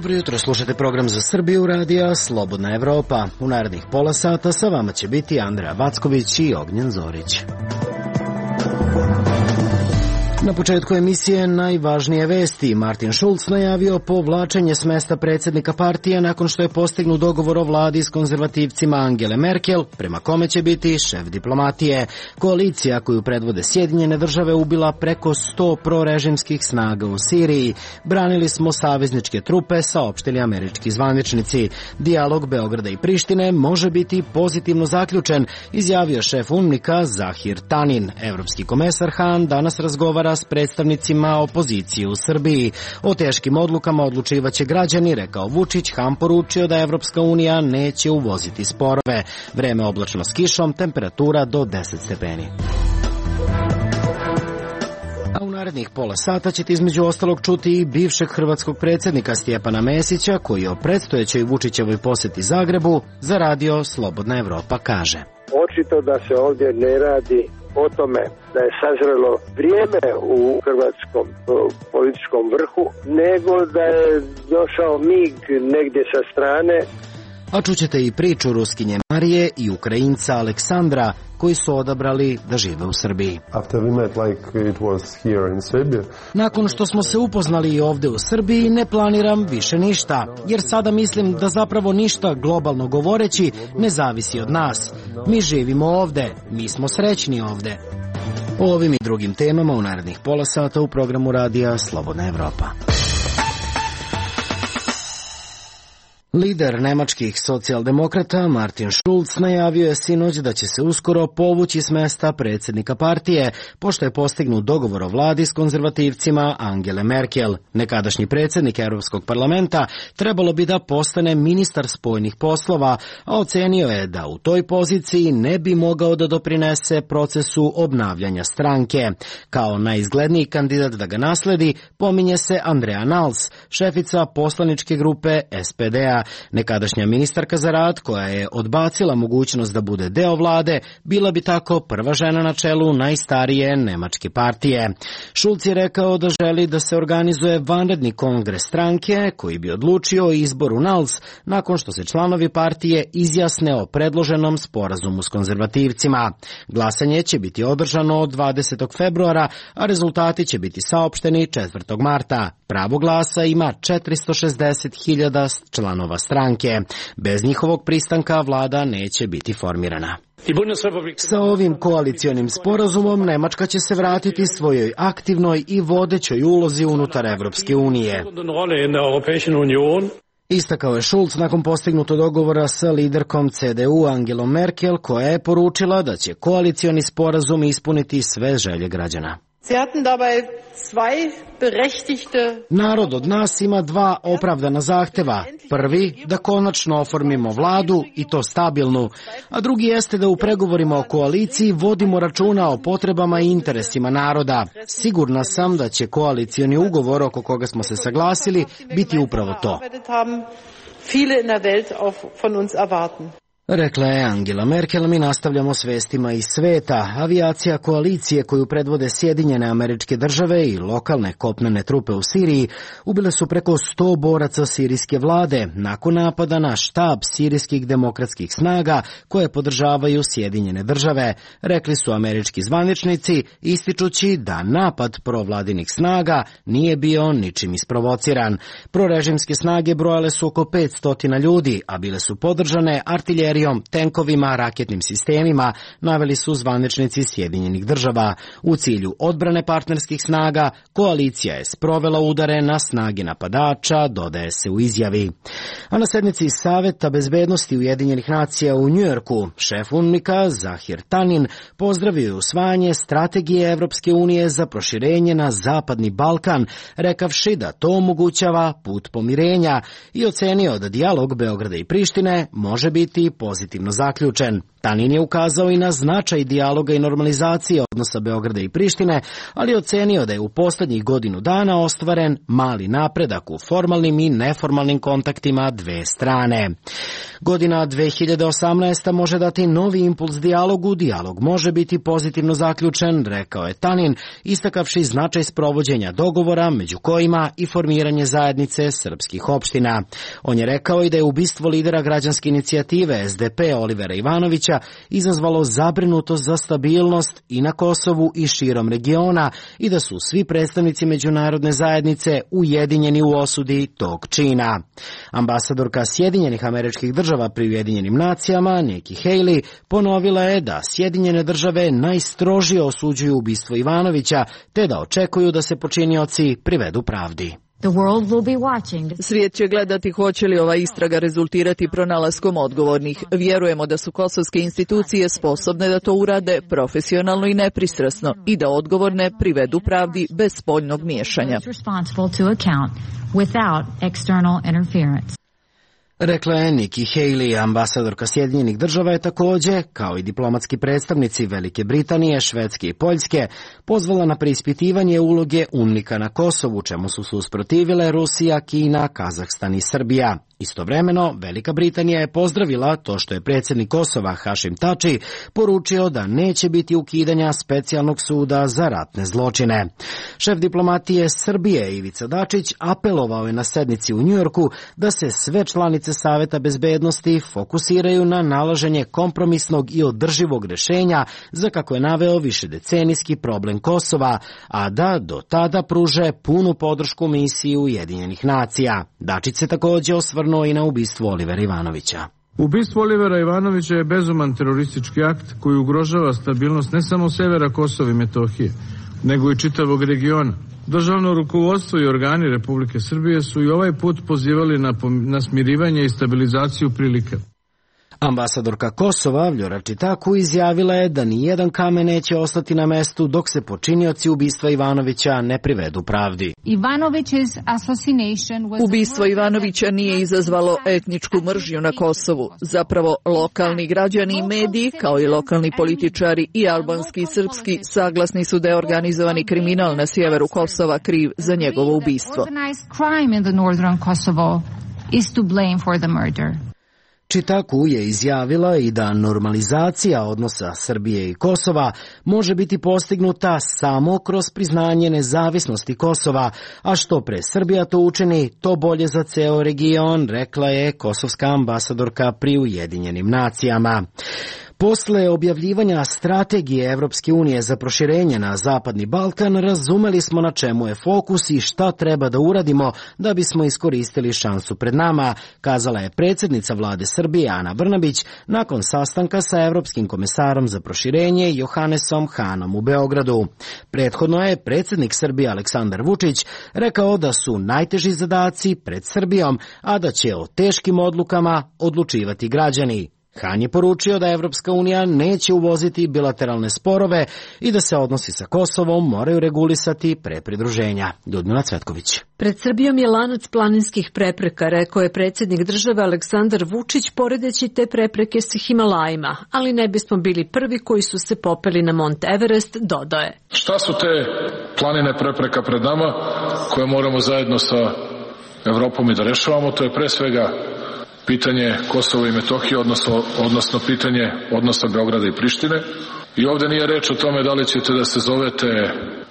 Dobro jutro, slušate program za Srbiju radija Slobodna Evropa. U narednih pola sata sa vama će biti Andreja Vacković i Ognjen Zorić. Na početku emisije najvažnije vesti. Martin Schulz najavio povlačenje s mesta predsjednika partije nakon što je postignut dogovor o vladi s konzervativcima Angele Merkel, prema kome će biti šef diplomatije. Koalicija koju predvode Sjedinjene države ubila preko 100 prorežimskih snaga u Siriji. Branili smo savezničke trupe, saopštili američki zvaničnici. Dijalog Beograda i Prištine može biti pozitivno zaključen, izjavio šef UNMIK-a Zahir Tanin. Evropski komesar Han danas razgovara s predstavnicima opozicije u Srbiji. O teškim odlukama odlučivaće građani, rekao Vučić. Han poručio da Evropska unija neće uvoziti sporove. Vreme oblačno s kišom, temperatura do 10 stepeni. A u narednih pola sata ćete između ostalog čuti i bivšeg hrvatskog predsjednika Stjepana Mesića, koji o predstojećoj Vučićevoj posjeti Zagrebu za radio Slobodna Evropa kaže: Očito da se ovdje ne radi o tome da je sazrelo vrijeme u hrvatskom političkom vrhu, nego da je došao mig negdje sa strane. A čućete i priču Ruskinje Marije i Ukrajinca Aleksandra, koji su odabrali da žive u Srbiji. Nakon što smo se upoznali i ovdje u Srbiji, ne planiram više ništa, jer sada mislim da zapravo ništa, globalno govoreći, ne zavisi od nas. Mi živimo ovdje, mi smo srećni ovdje. O ovim i drugim temama u narednih pola sata u programu radija Slobodna Evropa. Lider nemačkih socijaldemokrata Martin Schulz najavio je sinoć da će se uskoro povući s mesta predsjednika partije, pošto je postignut dogovor o vladi s konzervativcima Angele Merkel. Nekadašnji predsjednik Europskog parlamenta trebalo bi da postane ministar spoljnih poslova, a ocenio je da u toj poziciji ne bi mogao da doprinese procesu obnavljanja stranke. Kao najizgledniji kandidat da ga nasledi pominje se Andrea Nahles, šefica poslaničke grupe SPD-a. Nekadašnja ministarka za rad, koja je odbacila mogućnost da bude deo vlade, bila bi tako prva žena na čelu najstarije nemačke partije. Schulz je rekao da želi da se organizuje vanredni kongres stranke koji bi odlučio o izboru Nahles nakon što se članovi partije izjasne o predloženom sporazumu s konzervativcima. Glasanje će biti održano od 20. februara, a rezultati će biti saopšteni 4. marta. Pravo glasa ima 460.000 članova stranke. Bez njihovog pristanka vlada neće biti formirana. Sa ovim koalicionim sporazumom Nemačka će se vratiti svojoj aktivnoj i vodećoj ulozi unutar Evropske unije. Istakao je Schulz nakon postignutog dogovora sa liderkom CDU Angelom Merkel, koja je poručila da će koalicioni sporazum ispuniti sve želje građana. Narod od nas ima dva opravdana zahteva. Prvi, da konačno oformimo vladu, i to stabilnu, a drugi jeste da u pregovorima o koaliciji vodimo računa o potrebama i interesima naroda. Sigurna sam da će koalicioni ugovor oko koga smo se saglasili biti upravo to. Rekla je Angela Merkel. Mi nastavljamo s vestima iz sveta. Avijacija koalicije koju predvode Sjedinjene Američke Države i lokalne kopnene trupe u Siriji ubile su preko 100 boraca sirijske vlade nakon napada na štab sirijskih demokratskih snaga koje podržavaju Sjedinjene Države, rekli su američki zvaničnici, ističući da napad provladinih snaga nije bio ničim isprovociran. Prorežimske snage brojale su oko 500 ljudi, a bile su podržane artiljerijom, tenkovima, raketnim sistemima, naveli su zvaničnici Sjedinjenih Država. U cilju odbrane partnerskih snaga, koalicija je sprovela udare na snage napadača, dodaje se u izjavi. A na sednici Saveta bezbednosti Ujedinjenih nacija u Njujorku, šef UNMIK-a Zahir Tanin pozdravio je usvajanje strategije Evropske unije za proširenje na Zapadni Balkan, rekavši da to omogućava put pomirenja, i ocenio da dijalog Beograda i Prištine može biti pozitivno zaključen. Tanin je ukazao i na značaj dijaloga i normalizacije odnosa Beograda i Prištine, ali ocenio da je u posljednjih godinu dana ostvaren mali napredak u formalnim i neformalnim kontaktima dve strane. Godina 2018. može dati novi impuls dijalogu, dijalog može biti pozitivno zaključen, rekao je Tanin, istakavši značaj sprovođenja dogovora, među kojima i formiranje zajednice srpskih opština. On je rekao i da je ubistvo lidera građanske inicijative SDP Olivera Ivanovića izazvalo zabrinutost za stabilnost i na Kosovu i širom regiona i da su svi predstavnici međunarodne zajednice ujedinjeni u osudi tog čina. Ambasadorka Sjedinjenih Američkih Država pri Ujedinjenim nacijama, Nikki Haley, ponovila je da Sjedinjene Države najstrožije osuđuju ubistvo Ivanovića, te da očekuju da se počinioci privedu pravdi. Svijet će gledati hoće li ova istraga rezultirati pronalaskom odgovornih. Vjerujemo da su kosovske institucije sposobne da to urade profesionalno i nepristrasno i da odgovorne privedu pravdi bez spoljnog miješanja. Rekla je Nikki Haley. Ambasadorka Sjedinjenih Država je također, kao i diplomatski predstavnici Velike Britanije, Švedske i Poljske, pozvala na preispitivanje uloge UNMIK-a na Kosovu, čemu su se usprotivile Rusija, Kina, Kazahstan i Srbija. Istovremeno, Velika Britanija je pozdravila to što je predsjednik Kosova Hašim Tači poručio da neće biti ukidanja specijalnog suda za ratne zločine. Šef diplomatije Srbije Ivica Dačić apelovao je na sednici u Njujorku da se sve članice Saveta bezbednosti fokusiraju na nalaženje kompromisnog i održivog rješenja za, kako je naveo, višedecenijski problem Kosova, a da do tada pruže punu podršku misiji Ujedinjenih nacija. Dačić se također osvrnuo i na ubistvo Olivera Ivanovića. Ubistvo Olivera Ivanovića je bezuman teroristički akt koji ugrožava stabilnost ne samo severa Kosova i Metohije, nego i čitavog regiona. Državno rukovodstvo i organi Republike Srbije su i ovaj put pozivali na smirivanje i stabilizaciju prilika. Ambasadorka Kosova Vljora Čitaku izjavila je da nijedan kamen neće ostati na mestu dok se počinioci ubistva Ivanovića ne privedu pravdi. Ubistvo Ivanovića nije izazvalo etničku mržnju na Kosovu. Zapravo, lokalni građani i mediji, kao i lokalni političari i albanski i srpski, saglasni su da je organizovani kriminal na sjeveru Kosova kriv za njegovo ubistvo. Čitaku je izjavila i da normalizacija odnosa Srbije i Kosova može biti postignuta samo kroz priznanje nezavisnosti Kosova, a što pre Srbija to učini, to bolje za ceo region, rekla je kosovska ambasadorka pri Ujedinjenim nacijama. Posle objavljivanja strategije Evropske unije za proširenje na Zapadni Balkan, razumeli smo na čemu je fokus i šta treba da uradimo da bismo iskoristili šansu pred nama, kazala je predsjednica vlade Srbije Ana Brnabić nakon sastanka sa Evropskim komesarom za proširenje Johannesom Hanom u Beogradu. Prethodno je predsjednik Srbije Aleksandar Vučić rekao da su najteži zadaci pred Srbijom, a da će o teškim odlukama odlučivati građani. Han je poručio da Evropska unija neće uvoziti bilateralne sporove i da se odnosi sa Kosovom moraju regulisati pre pridruženja. Ljudmila Cvetković. Pred Srbijom je lanac planinskih prepreka, rekao je predsjednik države Aleksandar Vučić, poredeći te prepreke sa Himalajima, ali ne bismo bili prvi koji su se popeli na Mont Everest, dodao je. Šta su te planine prepreka pred nama koje moramo zajedno sa Evropom i da rešavamo? To je pre svega pitanje Kosova i Metohije, odnosno pitanje odnosa Beograda i Prištine. I ovdje nije reč o tome da li ćete da se zovete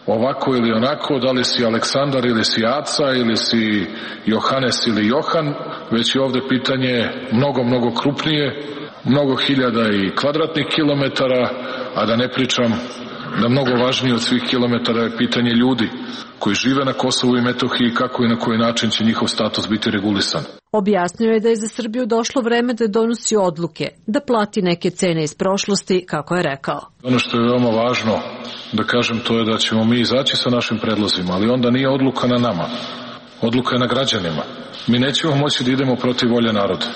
ovako ili onako, da li si Aleksandar ili si Aca ili si Johanes ili Johan, već je ovdje pitanje mnogo krupnije, mnogo hiljada i kvadratnih kilometara, a da ne pričam da mnogo važnije od svih kilometara je pitanje ljudi koji žive na Kosovu i Metohiji, kako i na koji način će njihov status biti regulisan. Objasnio je da je za Srbiju došlo vreme da donosi odluke, da plati neke cene iz prošlosti, kako je rekao. Ono što je veoma važno da kažem, to je da ćemo mi izaći sa našim predlozima, ali onda nije odluka na nama, odluka je na građanima. Mi nećemo moći da idemo protiv volje naroda.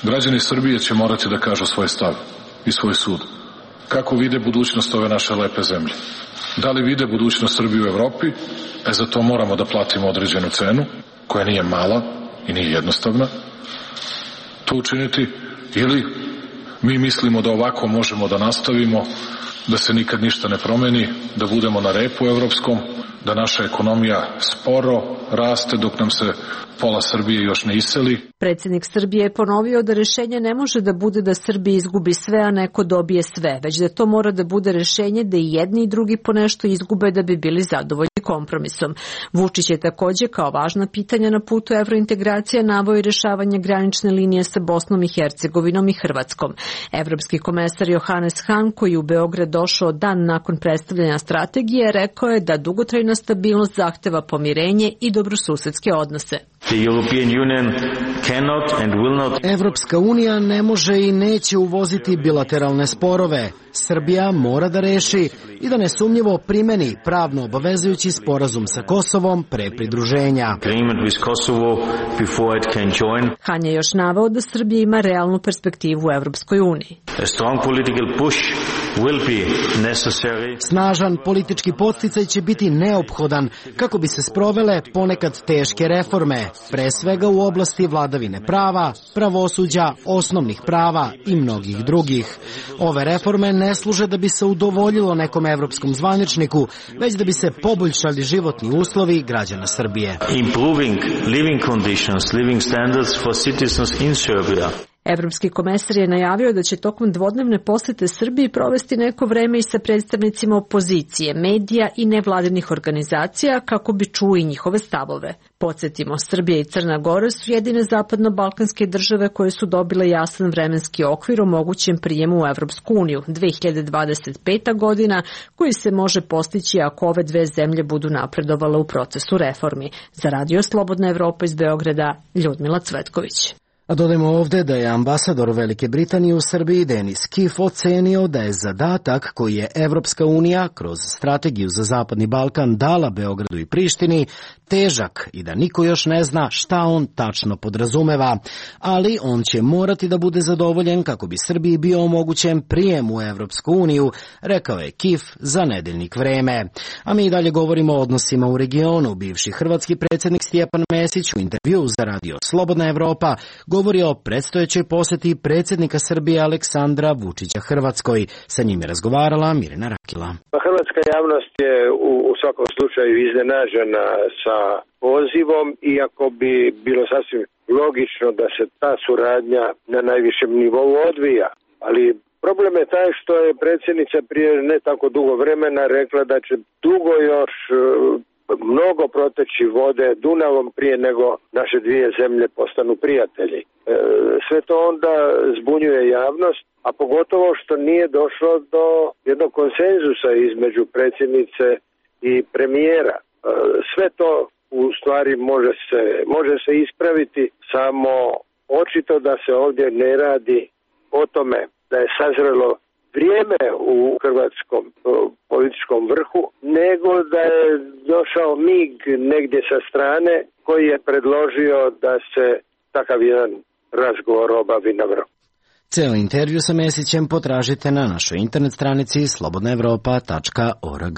Građani Srbije će morati da kažu svoj stav i svoj sud. Kako vide budućnost ove naše lepe zemlje? Da li vide budućnost Srbije u Evropi? Za to moramo da platimo određenu cenu, koja nije mala i nije jednostavna. To učiniti ili Mi mislimo da ovako možemo da nastavimo, da se nikad ništa ne promeni, da budemo na repu evropskom, da naša ekonomija sporo raste dok nam se pola Srbije još ne iseli. Predsjednik Srbije je ponovio da rešenje ne može da bude da Srbija izgubi sve, a neko dobije sve, već da to mora da bude rešenje da i jedni i drugi po nešto izgube da bi bili zadovoljni kompromisom. Vučić je takođe kao važna pitanja na putu evrointegracija naveo i rešavanje granične linije sa Bosnom i Hercegovinom i Hrvatskom. Evropski komesar Johannes Hahn, koji u Beograd došao dan nakon predstavljanja strategije, rekao je da dugotrajna stabilnost zahteva pomirenje i dobrosusedske odnose. Evropska unija ne može i neće uvoziti bilateralne sporove. Srbija mora da reši i da nesumnjivo primeni pravno obavezujući sporazum sa Kosovom pre pridruženja. Han je još naveo da Srbija ima realnu perspektivu u Evropskoj uniji. Snažan politički podsticaj će biti neophodan kako bi se sprovele ponekad teške reforme, pre svega u oblasti vladavine prava, pravosuđa, osnovnih prava i mnogih drugih. Ove reforme ne služe da bi se udovoljilo nekom evropskom zvaničniku, već da bi se poboljšali životni uslovi građana Srbije. Evropski komesar je najavio da će tokom dvodnevne posete Srbiji provesti neko vreme i sa predstavnicima opozicije, medija i nevladinih organizacija kako bi čuo i njihove stavove. Podsjetimo, Srbija i Crna Gora su jedine zapadno-balkanske države koje su dobile jasan vremenski okvir o mogućem prijemu u Evropsku uniju 2025. godina, koji se može postići ako ove dve zemlje budu napredovale u procesu reformi. Za Radio Slobodna Evropa iz Beograda, Ljudmila Cvetković. A dodajmo ovde da je ambasador Velike Britanije u Srbiji Denis Kiff ocenio da je zadatak koji je Evropska unija kroz strategiju za Zapadni Balkan dala Beogradu i Prištini težak i da niko još ne zna šta on tačno podrazumeva, ali on će morati da bude zadovoljen kako bi Srbiji bio omogućen prijem u Evropsku uniju, rekao je Kiff za nedeljnik Vreme. A mi dalje govorimo o odnosima u regionu. Bivši hrvatski predsjednik Stjepan Mesić u intervjuu za Radio Slobodna Evropa govori o predstojećoj poseti predsjednika Srbije Aleksandra Vučića Hrvatskoj. Sa njim je razgovarala Mirjana Rakila. Hrvatska javnost je u svakom slučaju iznenađena sa pozivom, iako bi bilo sasvim logično da se ta suradnja na najvišem nivou odvija. Ali problem je taj što je predsjednica prije ne tako dugo vremena rekla da će dugo još mnogo proteći vode Dunavom prije nego naše dvije zemlje postanu prijatelji. Sve to onda zbunjuje javnost, a pogotovo što nije došlo do jednog konsenzusa između predsjednice i premijera. Sve to u stvari može se ispraviti, samo očito da se ovdje ne radi o tome da je sazrelo vrijeme u hrvatskom političkom vrhu, nego da je došao mig negdje sa strane koji je predložio da se takav jedan razgovor obavi na vrhu. Ceo intervju sa Mesićem potražite na našoj internet stranici slobodnaevropa.org.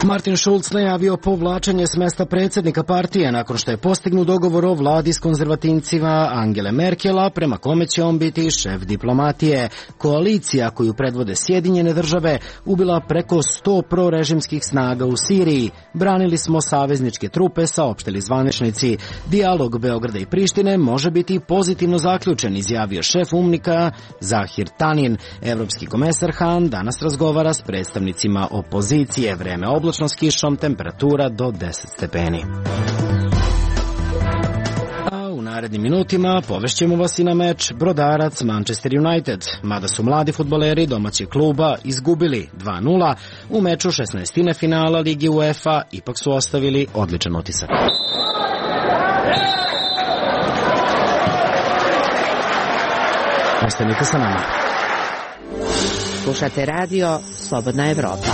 Martin Schulz najavio povlačenje s mesta predsjednika partije nakon što je postignut dogovor o vladi s konzervativcima Angele Merkela, prema kome će on biti šef diplomatije. Koalicija koju predvode Sjedinjene države ubila preko 100 prorežimskih snaga u Siriji. Branili smo savezničke trupe, saopštili zvaničnici. Dijalog Beograda i Prištine može biti pozitivno zaključen, izjavio šef UNMIK-a Zahir Tanin. Evropski komesar Hahn danas razgovara s predstavnicima opozicije. Vreme oblačno s kišom, temperatura do 10 stepeni. A u narednim minutima povešćemo vas i na meč Brodarac Manchester United. Mada su mladi fudbaleri domaćeg kluba izgubili 2:0 u meču 16. finala Ligi UEFA, ipak su ostavili odličan utisak. Ostanite sa nama. Slušate radio Slobodna Evropa.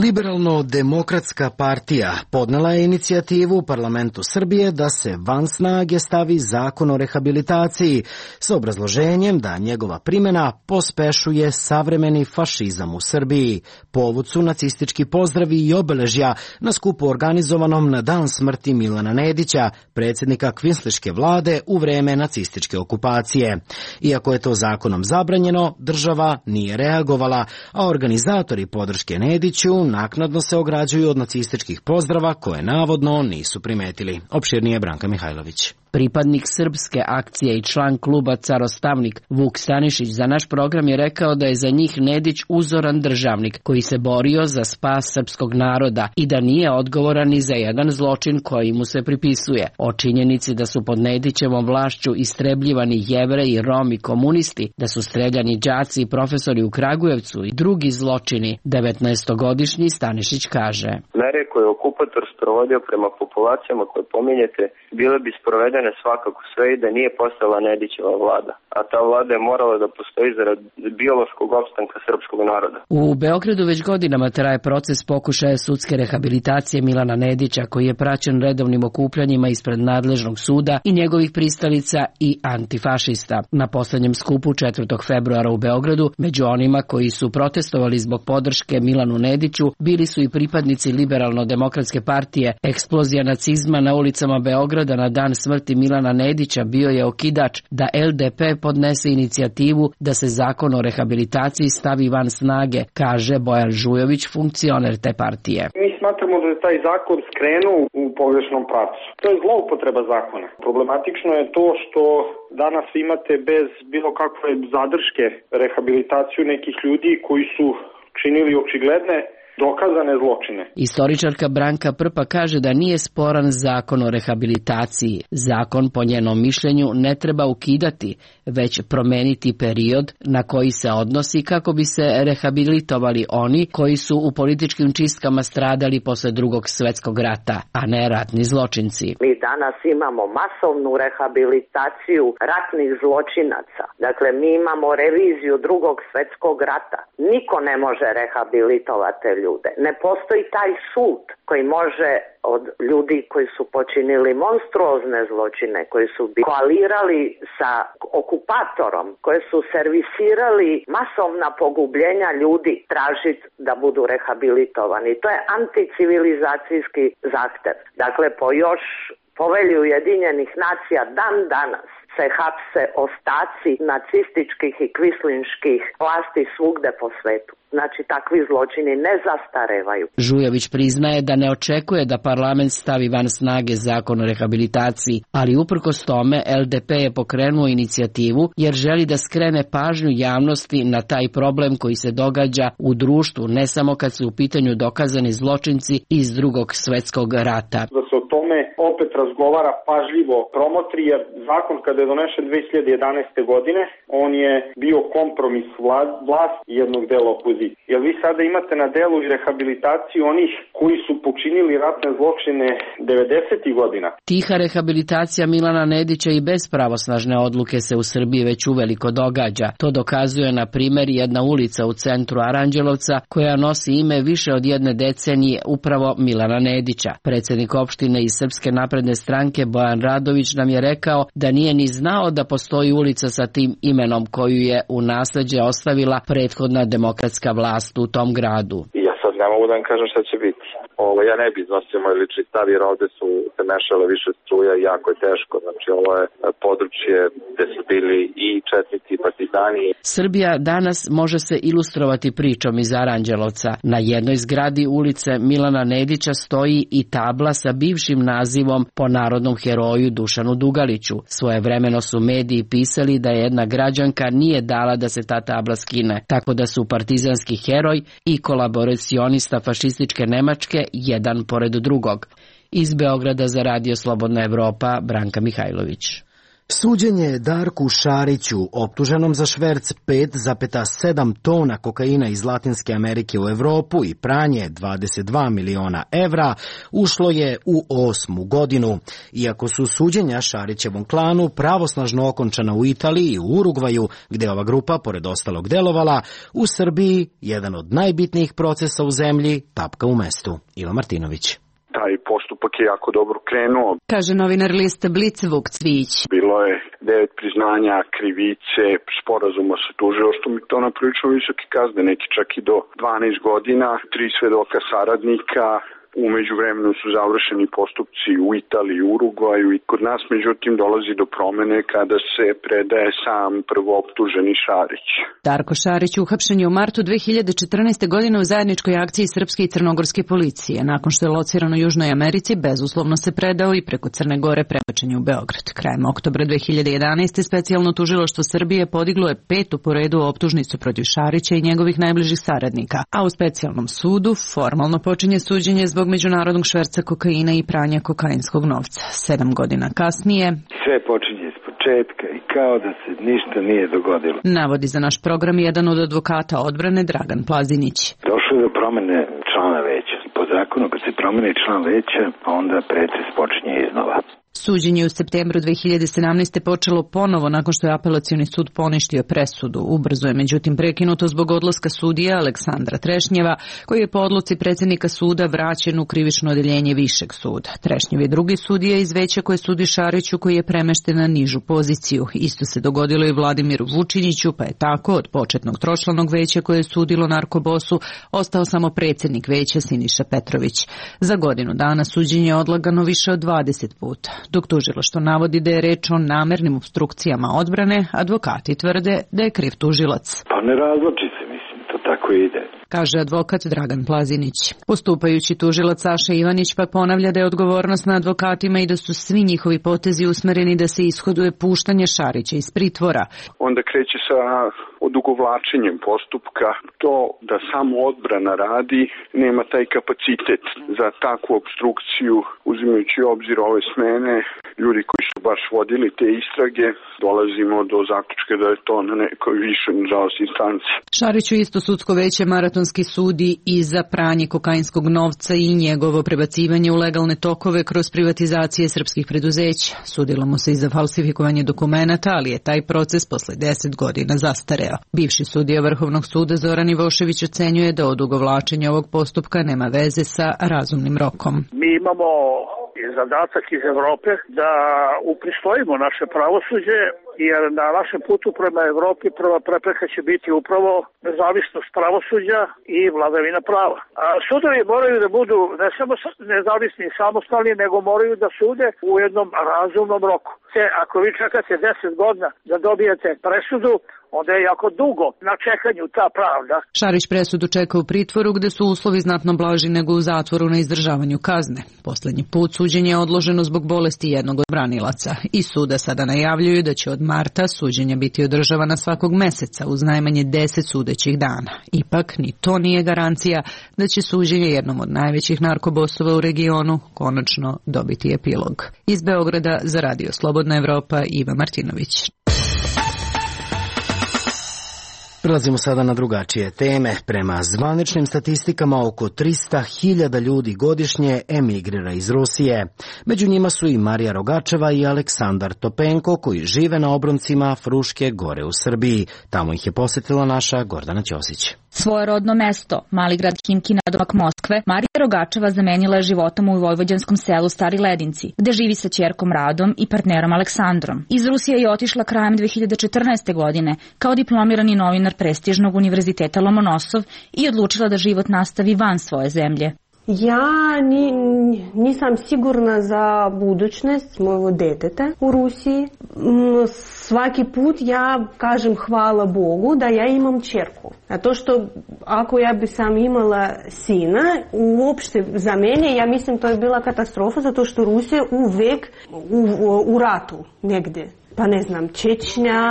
Liberalno-demokratska partija podnela je inicijativu u parlamentu Srbije da se van snage stavi zakon o rehabilitaciji s obrazloženjem da njegova primjena pospešuje savremeni fašizam u Srbiji. Povod su nacistički pozdravi i obeležja na skupu organizovanom na dan smrti Milana Nedića, predsjednika kvinsliške vlade u vreme nacističke okupacije. Iako je to zakonom zabranjeno, država nije reagovala, a organizatori podrške Nediću naknadno se ograđuju od nacističkih pozdrava koje navodno nisu primetili. Opširnije Branka Mihajlović. Pripadnik srpske akcije i član kluba Carostavnik Vuk Stanišić za naš program je rekao da je za njih Nedić uzoran državnik koji se borio za spas srpskog naroda i da nije odgovoran ni za jedan zločin koji mu se pripisuje. O činjenici da su pod Nedićevom vlašću istrebljivani Jevreji, Romi, komunisti, da su streljani đaci i profesori u Kragujevcu i drugi zločini, 19-godišnji Stanišić kaže. Mere koje je okupator sprovodio prema populacijama koje pominjete bile bi sprovedene svakako sve i da nije postala Nedićeva vlada, a ta vlada je morala da postoji zarad biološkog opstanka srpskog naroda. U Beogradu već godinama traje proces pokušaja sudske rehabilitacije Milana Nedića, koji je praćen redovnim okupljanjima ispred nadležnog suda i njegovih pristalica i antifašista. Na poslednjem skupu 4. februara u Beogradu, među onima koji su protestovali zbog podrške Milanu Nediću, bili su i pripadnici Liberalno-demokratske partije. Eksplozija nacizma na ulicama Beograda na dan smrti Milana Nedića bio je okidač da LDP podnese inicijativu da se zakon o rehabilitaciji stavi van snage, kaže Bojan Žujović, funkcioner te partije. Mi smatramo da je taj zakon skrenuo u pogrešnom pravcu. To je zloupotreba zakona. Problematično je to što danas imate bez bilo kakve zadrške rehabilitaciju nekih ljudi koji su činili očigledne dokazane zločine. Istoričarka Branka Prpa kaže da nije sporan zakon o rehabilitaciji. Zakon, po njenom mišljenju, ne treba ukidati, već promeniti period na koji se odnosi kako bi se rehabilitovali oni koji su u političkim čistkama stradali posle Drugog svjetskog rata, a ne ratni zločinci. Mi danas imamo masovnu rehabilitaciju ratnih zločinaca. Dakle, mi imamo reviziju Drugog svjetskog rata. Niko ne može rehabilitovati ljude. Ne postoji taj sud koji može od ljudi koji su počinili monstruozne zločine, koji su koalirali sa okupatorom, koji su servisirali masovna pogubljenja ljudi, tražiti da budu rehabilitovani. To je anticivilizacijski zahtev. Dakle, po još Povelji Ujedinjenih nacija dan danas se hapse ostaci nacističkih i kvislinških vlasti svugde po svetu. Znači, takvi zločini ne zastarevaju. Žujović priznaje da ne očekuje da parlament stavi van snage zakon o rehabilitaciji, ali uprkos tome LDP je pokrenuo inicijativu jer želi da skrene pažnju javnosti na taj problem koji se događa u društvu, ne samo kad su u pitanju dokazani zločinci iz Drugog svjetskog rata. Da se o tome opet razgovara pažljivo, promotri, jer zakon kada je donešen 2011. godine, on je bio kompromis vlast jednog dela opozicije. Jer vi sada imate na delu i rehabilitaciju onih koji su počinili ratne zločine 90. godina. Tiha rehabilitacija Milana Nedića i bez pravosnažne odluke se u Srbiji već uveliko događa. To dokazuje, na primjer, jedna ulica u centru Aranđelovca koja nosi ime više od jedne decenije upravo Milana Nedića. Predsjednik opštine iz Srpske napredne stranke Bojan Radović nam je rekao da nije ni znao da postoji ulica sa tim imenom koju je u nasleđe ostavila prethodna demokratska vlast u tom gradu. Ja sad ne mogu da vam kažem šta će biti. Ja ne bi iznosio moj lični stav jer ovde su se mešale više struja i jako je teško. Znači ovo je područje gde su bili i četnici i partizani. Srbija danas može se ilustrovati pričom iz Aranđelovca. Na jednoj zgradi ulice Milana Nedića stoji i tabla sa bivšim nazivom po narodnom heroju Dušanu Dugaliću. Svojevremeno su mediji pisali da jedna građanka nije dala da se ta tabla skine, tako da su partizanski heroj i kolaboracionista fašističke Nemačke jedan pored drugog. Iz Beograda za Radio Slobodna Evropa, Branka Mihajlović. Suđenje Darku Šariću, optuženom za šverc 5,7 tona kokaina iz Latinske Amerike u Evropu i pranje 22 miliona evra, ušlo je u 8. godinu. Iako su suđenja Šarićevom klanu pravosnažno okončana u Italiji i u Urugvaju, gde ova grupa, pored ostalog, delovala, u Srbiji jedan od najbitnijih procesa u zemlji tapka u mestu. Ivo Martinović. Taj postupak je jako dobro krenuo. Kaže novinar lista Blic Vuk Cvijić. Bilo je 9 priznanja krivice, sporazuma sa tužilaštvom i to na prilično visoke kazne, neki čak i do 12 godina, 3 svedoka saradnika. U međuvremenu su završeni postupci u Italiji i Urugvaju i kod nas međutim dolazi do promene kada se predaje sam prvooptuženi Šarić. Darko Šarić uhapšen je u martu 2014. godine u zajedničkoj akciji srpske i crnogorske policije. Nakon što je lociran u Južnoj Americi, bezuslovno se predao i preko Crne Gore prebačen je u Beograd. Krajem oktobra 2011. specijalno tužilaštvo Srbije podiglo je 5. po redu optužnicu protiv Šarića i njegovih najbližih saradnika, a u specijalnom sudu formalno počinje suđenje zbog međunarodnog šverca kokaina i pranja kokainskog novca. 7 godina kasnije sve počinje s početka i kao da se ništa nije dogodilo. Navodi za naš program jedan od advokata odbrane Dragan Plazinić. Došlo je do promene člana veća. Po zakonu kad se promeni član veća, onda pretres počinje iznova. Suđenje u septembru 2017. počelo ponovo nakon što je apelacioni sud poništio presudu. Ubrzo je međutim prekinuto zbog odlaska sudija Aleksandra Trešnjeva, koji je po odluci predsjednika suda vraćen u krivično odeljenje Višeg suda. Trešnjev je drugi sudija iz veća koje sudi Šariću, koji je premešten na nižu poziciju. Isto se dogodilo i Vladimiru Vučiniću, pa je tako od početnog tročlanog veća koje je sudilo narkobosu ostao samo predsjednik veća Siniša Petrović. Za godinu dana suđenje je odlagano više od 20 puta. Dok tužilaštvo navodi da je reč o namernim opstrukcijama odbrane, advokati tvrde da je kriv tužilac. Pa ne razloči se, mislim, to tako ide. Kaže advokat Dragan Plazinić. Postupajući tužilac Saša Ivanić pa ponavlja da je odgovornost na advokatima i da su svi njihovi potezi usmereni da se ishoduje puštanje Šarića iz pritvora. Onda kreće sa odugovlačenjem postupka. To da samo odbrana radi nema taj kapacitet za takvu opstrukciju, uzimajući u obzir ove smene. Ljudi koji su baš vodili te istrage, dolazimo do zaključka da je to na nekoj višoj, nažalost, instanci. Šariću isto sudsko veće Maratonski sudi i za pranje kokainskog novca i njegovo prebacivanje u legalne tokove kroz privatizacije srpskih preduzeća. Sudilo mu se i za falsifikovanje dokumenata, ali je taj proces posle 10 godina zastareo. Bivši sudija Vrhovnog suda Zoran Ivošević ocenjuje da odugovlačenje ovog postupka nema veze sa razumnim rokom. Mi imamo zadatak iz Evrope da upristojimo naše pravosuđe, jer na našem putu prema Evropi prva prepreka će biti upravo nezavisnost pravosuđa i vladavina prava. A sudovi moraju da budu ne samo nezavisni i samostalni, nego moraju da sude u jednom razumnom roku. Ako vi čekate 10 godina da dobijete presudu, onda je jako dugo na čekanju ta pravda. Šarić presudu čeka u pritvoru gde su uslovi znatno blaži nego u zatvoru na izdržavanju kazne. Poslednji put suđenje je odloženo zbog bolesti jednog od branilaca. I suda sada najavljuju da će od marta suđenja biti održavana svakog meseca uz najmanje 10 sudećih dana. Ipak ni to nije garancija da će suđenje jednom od najvećih narkobosova u regionu konačno dobiti epilog. Iz Beograda za Radio Slobodna Evropa, Iva Martinović. Prelazimo sada na drugačije teme. Prema zvaničnim statistikama oko 300.000 ljudi godišnje emigrira iz Rusije. Među njima su i Marija Rogačeva i Aleksandar Topenko, koji žive na obroncima Fruške gore u Srbiji. Tamo ih je posetila naša Gordana Ćosić. Svoje rodno mesto, mali grad Khimki nadomak Moskve, Marija Rogačeva zamenila je životom u vojvođanskom selu Stari Ledinci, gde živi sa ćerkom Radom i partnerom Aleksandrom. Iz Rusije je otišla krajem 2014. godine kao diplomirani novinar prestižnog univerziteta Lomonosov i odlučila da život nastavi van svoje zemlje. Ja nisam sigurna za budućnost mojeg deteta u Rusiji. Svaki put ja kažem hvala Bogu da ja imam ćerku. A to što ako ja bi sam imala sina, uopšte za mene, ja mislim to je bila katastrofa zato što Rusija uvek u ratu negdje. Pa ne znam, Čečnja,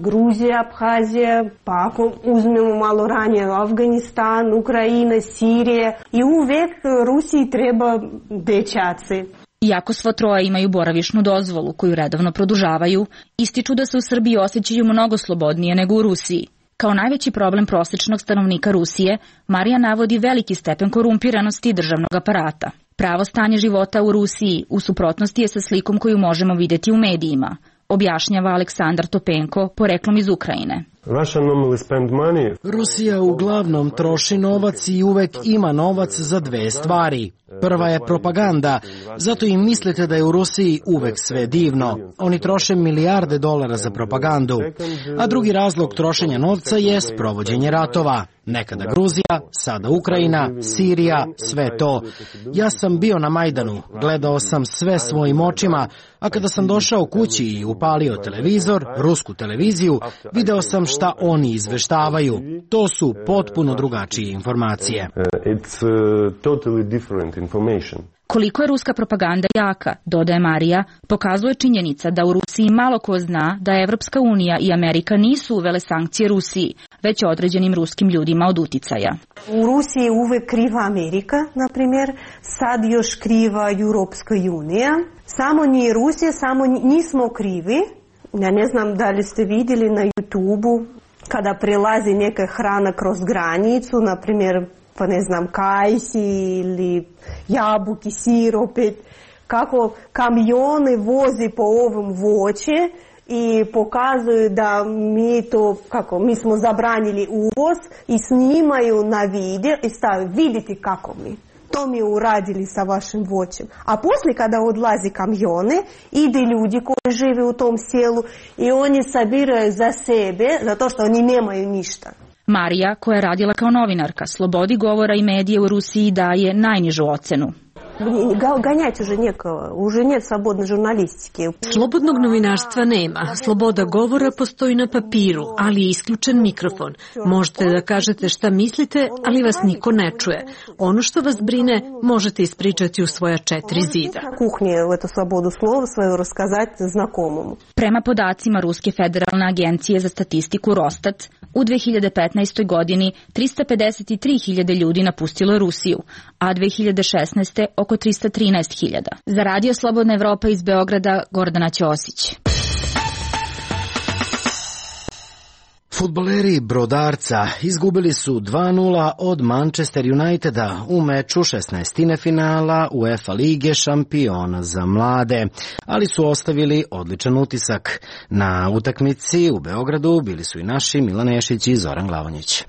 Gruzija, Abhazija, pa ako uzmemo malo ranije Afganistan, Ukrajina, Sirija i uvek Rusiji treba dečaci. Iako svo troje imaju boravišnu dozvolu koju redovno produžavaju, ističu da se u Srbiji osjećaju mnogo slobodnije nego u Rusiji. Kao najveći problem prosečnog stanovnika Rusije, Marija navodi veliki stepen korumpiranosti državnog aparata. Pravo stanje života u Rusiji u suprotnosti je sa slikom koju možemo vidjeti u medijima, objašnjava Aleksandar Topenko, poreklom iz Ukrajine. Rusija uglavnom troši novac i uvek ima novac za dve stvari. Prva je propaganda, zato im mislite da je u Rusiji uvek sve divno. Oni troše milijarde dolara za propagandu. A drugi razlog trošenja novca je sprovođenje ratova. Nekada Gruzija, sada Ukrajina, Sirija, sve to. Ja sam bio na Majdanu, gledao sam sve svojim očima, a kada sam došao kući i upalio televizor, rusku televiziju, video sam šta oni izveštavaju. To su potpuno drugačije informacije. Koliko je ruska propaganda jaka, dodaje Marija, pokazuje činjenica da u Rusiji malo ko zna da Evropska unija i Amerika nisu uvele sankcije Rusiji, već određenim ruskim ljudima od uticaja. U Rusiji je uvek kriva Amerika, na primjer, sad još kriva Europska unija. Samo nije Rusija, samo nismo krivi. Ja ne znam da li ste vidjeli na YouTube-u kada prelazi neka hrana kroz granicu, na primjer, pa ne znam, kajsi ili jabuki, sir opet, kako kamione vozi po ovom voće i pokazuju da mi smo zabranili uvoz i snimaju na video i stavaju, vidite kako mi. To mi uradili sa vašim voćem. A poslije kada odlazi kamione, ide ljudi koji žive u tom selu i oni sabiraju za sebe, zato što oni nemaju ništa. Marija, koja je radila kao novinarka, slobodi govora i medije u Rusiji daje najnižu ocenu. Ganjati уже нет slobodne žurnalistike. Slobodnog novinarstva nema. Sloboda govora postoji na papiru, ali je isključen mikrofon. Možete da kažete šta mislite, ali vas niko ne čuje. Ono što vas brine možete ispričati u svoja 4 zida. Kuhnje eto slobodu slova svoju raskazati znakomomu. Prema podacima Ruske federalne agencije za statistiku Rostat, u 2015. godini 353.000 ljudi napustilo Rusiju, a 2016. oko 313.000. Za Radio Slobodna Evropa iz Beograda, Gordana Ćosić. Fudbaleri Brodarca izgubili su 2-0 od Manchester Uniteda u meču 16. finala UEFA lige šampiona za mlade, ali su ostavili odličan utisak. Na utakmici u Beogradu bili su i naši Milan Nešić i Zoran Glavonjić.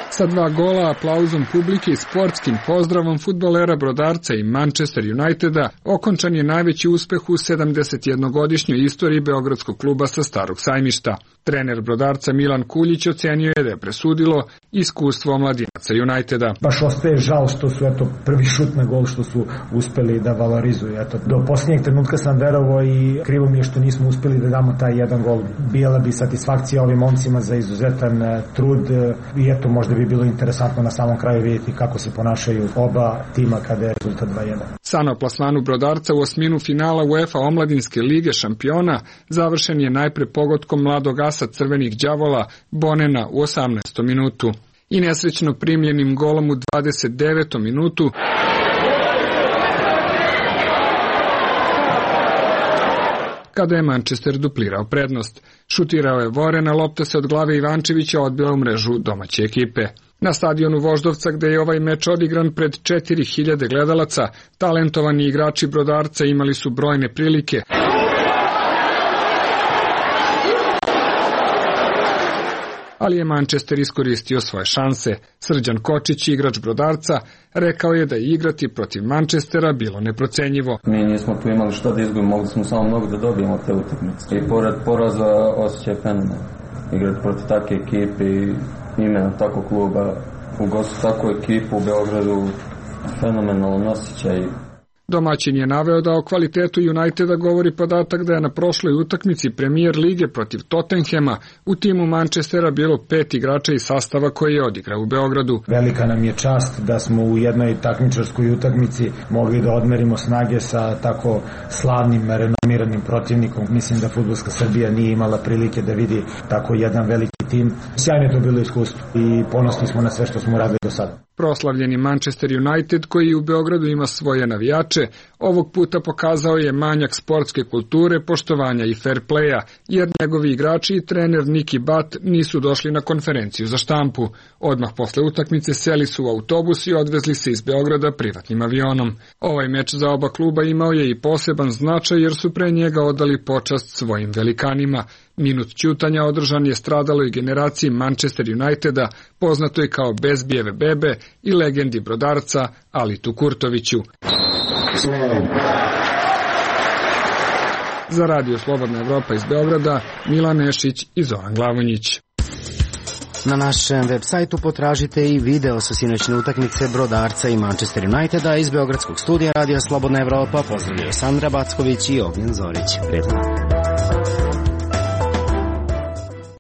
Sa 2 gola, aplauzom publike i sportskim pozdravom fudbalera Brodarca i Manchester Uniteda okončan je najveći uspeh u 71-godišnjoj istoriji beogradskog kluba sa Starog Sajmišta. Trener Brodarca Milan Kuljić ocenio je da je presudilo iskustvo omladinaca Uniteda. Baš ostaje žal što su prvi šut na gol što su uspeli da valorizuju. Do posljednjeg trenutka sam verovao i krivo mi je što nismo uspeli da damo taj jedan gol. Bila bi satisfakcija ovim momcima za izuzetan trud i možda bi bilo interesantno na samom kraju vidjeti kako se ponašaju oba tima kada je rezultat 2-1. San o plasmanu Brodarca u osminu finala UEFA Omladinske lige šampiona završen je najpre pogodkom mladog asa Crvenih đavola Bonena u 18. minutu i nesrećno primljenim golom u 29. minutu kada je Manchester duplirao prednost. Šutirao je Vorena, lopta se od glave Ivančevića odbila u mrežu domaće ekipe. Na stadionu Voždovca, gde je ovaj meč odigran pred 4.000 gledalaca, talentovani igrači Brodarca imali su brojne prilike. Ali je Manchester iskoristio svoje šanse. Srđan Kočić, igrač Brodarca, rekao je da je igrati protiv Manchestera bilo neprocenjivo. Mi nismo tu imali šta da izgubimo, mogli smo samo mnogo da dobijemo te utakmice. I pored poraza osjećaj fenomen. Igrati protiv takve ekipe i imena takvog kluba, ugostiti takvu ekipu u Beogradu, fenomenalan osjećaj. Domaćin je naveo da o kvalitetu Uniteda govori podatak da je na prošloj utakmici Premier lige protiv Tottenhema u timu Manchestera bilo 5 igrača iz sastava koji je odigrao u Beogradu. Velika nam je čast da smo u jednoj takmičarskoj utakmici mogli da odmerimo snage sa tako slavnim, renomiranim planiranim protivnikom. Mislim da fudbalska Srbija nije imala prilike da vidi tako jedan veliki tim. Sjajno je to bilo iskustvo i ponosni smo na sve što smo uradili do sada. Proslavljeni Manchester United, koji u Beogradu ima svoje navijače, ovog puta pokazao je manjak sportske kulture, poštovanja i fair playa, jer njegovi igrači i trener Nicky Butt nisu došli na konferenciju za štampu. Odmah posle utakmice seli su u autobus i odvezli se iz Beograda privatnim avionom. Ovaj meč za oba kluba imao je i poseban značaj jer su pre njega odali počast svojim velikanima. Minut ćutanja održan je stradaloj generaciji Manchester Uniteda, poznatoj kao Bezbijeve bebe i legendi brodarca Alitu Kurtoviću. Za Radio Slobodna Evropa iz Beograda, Milan Nešić i Zoran Glavonjić. Na našem web sajtu potražite i video sa sinoćne utakmice Brodarca i Manchester Uniteda. Iz beogradskog studija Radio Slobodna Evropa pozdravljaju Sandra Backović i Ognjen Zorić. Prijetno.